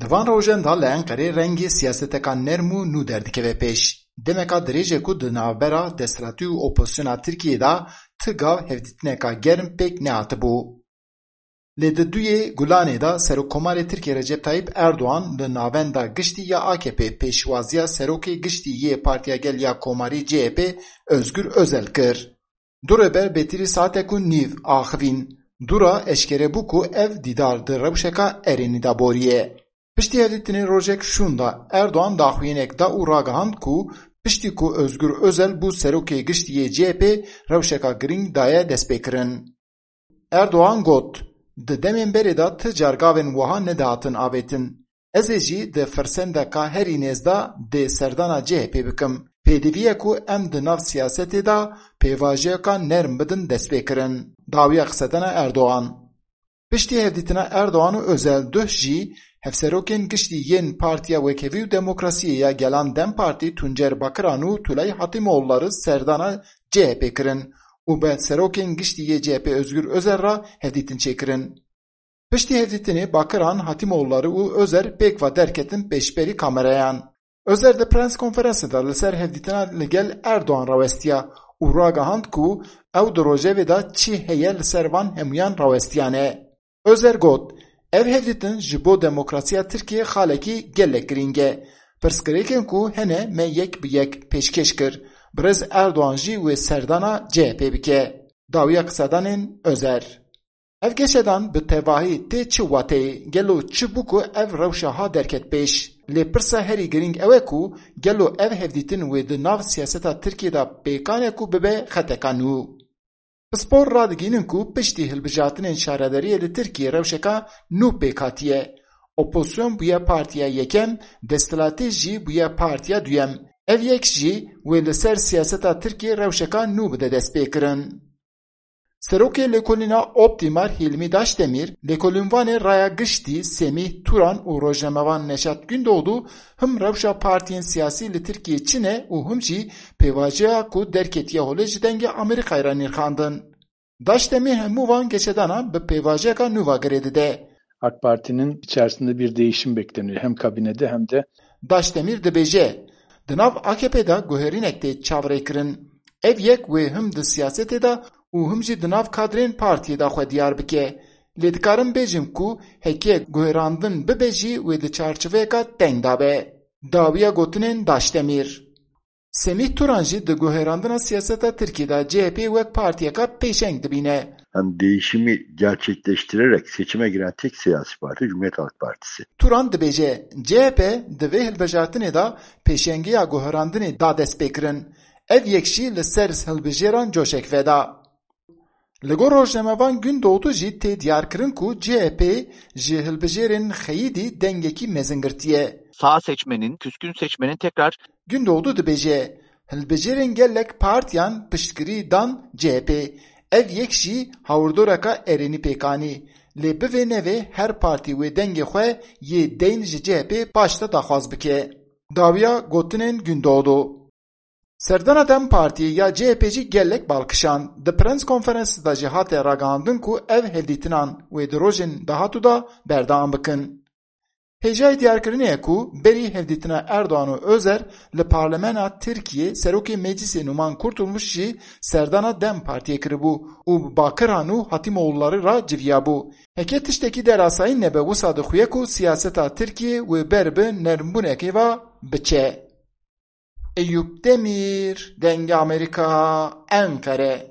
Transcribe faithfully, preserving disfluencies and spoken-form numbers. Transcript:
Di van rojan de li Enqerê rengê siyaseteka nerm û nû derdikeve pêş. Demeka dirêj e ku di navbera desthilatî û opozisyona Tirkiyê de ti gav hevdîtineka germ pêk nehatibû. Lê di duyê Gulanê de Serokkomarê Tirkiyê Recep Tayyip Erdoğan li navenda giştî ya A K P pêşwaziya Serokê Giştî yê Partiya Gel ya Komarî C H P Özgür Özel kir. Du rêber bêtirî saetek û nîv axivîn. Dû re eşkere bû ku ev dîdar di rewşeka erênî de boriye. Piştî hevdîtinê rojek şûn de Erdoğan daxuyaniyek da û ragihand ku piştî ku Özgür Özel bû serokê giştî yê C H P, rewşeka girîng daye destpêkirin. Erdoğan got, di demên berê de ti car gavên wiha nedihatin avêtin. Ez ê jî di firsendeka herî nêz de dê serdana C H P bikim. Pêdivî ye ku em di nav siyasetê de pêvajoyeka nerm bidin destpêkirin. Dawiya qisedana Erdoğan. Piştî hevdîtina Erdoğan û Özel duh jî hevserokên giştî yên Partiya Wekhevî û Demokrasiyê ya Gelan DEM Partî Tuncer Bakiran û Tulay Hatimoğulları serdana C H P kirin û bi serokên giştî yê C H P Özgür Özel re hevdîtin çêkirin. Piştî hevdîtinê Bakiran, Hatimoğulları û Özel pêk ve derketin pêşberî kamerayan. Özel di prens konferansê de li ser hevdîtina li gel Erdoğan rawestiya û ragihand ku ew di rojevê de çi heye li ser van hemûyan rawestiyane. Özel got, ev hevdîtin ji bo demokrasiya Tirkiyê xalekî gelek girîng e. Pirsgirêkên ku hene me yek bi yek pêşkêş kir. Birêz Erdoğan jî wê serdana C H P bike. Dawiya qisedanên Özel. Ev geşedan bi tevahî tê çi wateyê? Gelo çi bû ku ev rewşa ha derket pêş? Lê pirsa herî girîng ew e ku gelo ev hevdîtin wê di nav siyaseta Tirkiyê de pêkan e ku bibe xeteka nû? Pispor radigihînin ku piştî hilbijartinên şaredariyê li Tirkiyê rewşeka nû pêk hatiye. Opozisyon bûye partiya yekem, desthilatî jî bûye partiya duyem. Ev yek jî wê li ser siyaseta Tirkiyê rewşeka nû bide destpêkirin. Serokê Lêkolîna Optîmar Hîlmî Daşdemîr, lêkolînvanê Raya Giştî Semîh Turan û rojnamevan Neşat Gündoğdu him rewşa partiyên siyasî li Tirkiyê çi ne û him jî pêvajoya ku derketiye holê ji Dengê Amerîkayê re nirxandin. Daşdemîr hemû van geşedanan bi pêvajiyeka nû ve girê dide. AK Parti'nin içerisinde bir değişim bekleniyor. Hem kabinede hem de Daşdemîr dibêje, di nav A K P de guherînek tê çavrêkirin. Ev yek wê him di siyasetê de û him jî di nav kadrên partiyê de xwe diyar bike. Lê dikarim bêjim ku heke guherandin bibe jî wê di çarçoveyeka teng de be. Dawiya gotinên Daşdemîr. Semîh Turan jî di guherandina siyaseta Tirkiyê de C H P'yê wek partiyeka pêşeng dibîne. Hem değişimi gerçekleştirerek seçime giren tek siyasi parti Cumhuriyet Halk Partisi. Turan dibêje, C H P di vê hilbijartinê de pêşengiya guherandinê da destpêkirin. Ev yek jî li ser hilbijêran coşek veda. Li gor rojnamevan Gündoğdu jî tê diyarkirin ku C H P ji hilbijêrên xeyidî dengekî mezin girtiye. Sağ seçmenin, küskün seçmenin tekrar Gündoğdu dibêje, hilbijêrên gelek partiyan piştgirî dan C H P. Ev yek jî hawirdoreka erênî pêk anî. Lê bivê nevê her partî wê dengê xwe yê deyn ji C H P paş de daxwaz bike. Dawiya gotinên Gündoğdu. Serdana DEM Partiyê ya C H P jî gelek bal kişand. Di prens konferansê de jî hate ragihandin ku ev hevdîtinan wê di rojên dahatû de berdewam bikin. Hêjayî diyarkirinê ye ku berî hevdîtina Erdoğan û Özel li Parlamena Tirkiyê serokê Meclisê Numan Kurtulmuş jî serdana DEM Partiyê kiribû û bi Bakiran û Hatimoğulları re civiyabû. Heke tiştekî derasayî nebe, wisa dixuye ku siyaseta Tirkiyê wê ber bi nermbûnekê ve biçe. Eyûp Demîr, Dengê Amerîka, Enqere.